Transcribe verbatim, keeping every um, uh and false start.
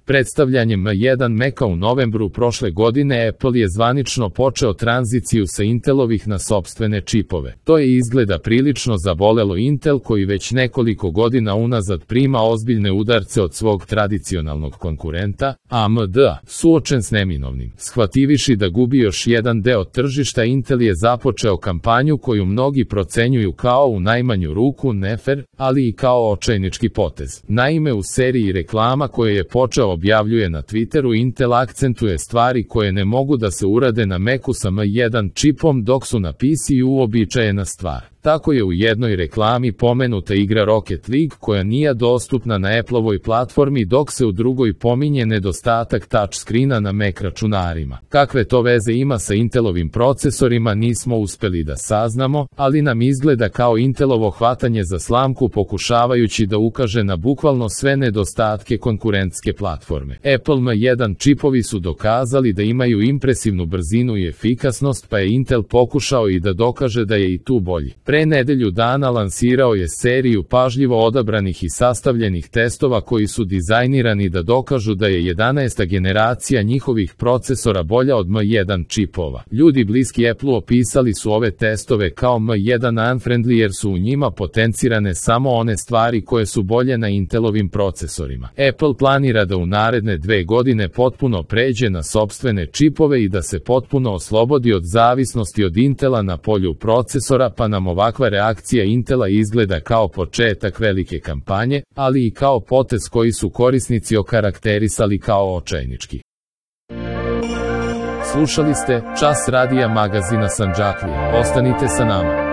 Predstavljanjem M jedan Maca u novembru prošle godine Apple je zvanično počeo tranziciju sa Intelovih na sopstvene čipove. To je izgleda prilično zabolelo Intel koji već nekoliko godina unazad prima ozbiljne udarce od svog tradicionalnog konkurenta, A M D, suočen s neminovnim. Shvativiši da gubi još jedan deo tržišta, Intel je započeo kampanju koju mnogi procenjuju kao u najmanju ruku nefer, ali i kao očajnički potez. Naime, u seriji reklama koje je počeo objavljuje na Twitteru, Intel akcentuje stvari koje ne mogu da se urade na Macu sa M jedan čipom, dok su na P C U uobičajena stvar. Tako je u jednoj reklami pomenuta igra Rocket League koja nije dostupna na Appleovoj platformi, dok se u drugoj pominje nedostatak touchscreena na Mac računarima. Kakve to veze ima sa Intelovim procesorima nismo uspeli da saznamo, ali nam izgleda kao Intelovo hvatanje za slamku pokušavajući da ukaže na bukvalno sve nedostatke konkurentske platforme. Apple M jedan čipovi su dokazali da imaju impresivnu brzinu i efikasnost, pa je Intel pokušao i da dokaže da je i tu bolji. Pre nedelju dana lansirao je seriju pažljivo odabranih i sastavljenih testova koji su dizajnirani da dokažu da je jedanaesta generacija njihovih procesora bolja od M jedan čipova. Ljudi bliski Apple opisali su ove testove kao M jedan unfriendly jer su u njima potencirane samo one stvari koje su bolje na Intelovim procesorima. Apple planira da u naredne dve godine potpuno pređe na sopstvene čipove i da se potpuno oslobodi od zavisnosti od Intela na polju procesora, pa nam ovakva reakcija Intela izgleda kao početak velike kampanje, ali i kao potez koji su korisnici okarakterisali kao očajnički. Slušali ste Čas radija magazina Sandžaklija. Ostanite sa nama.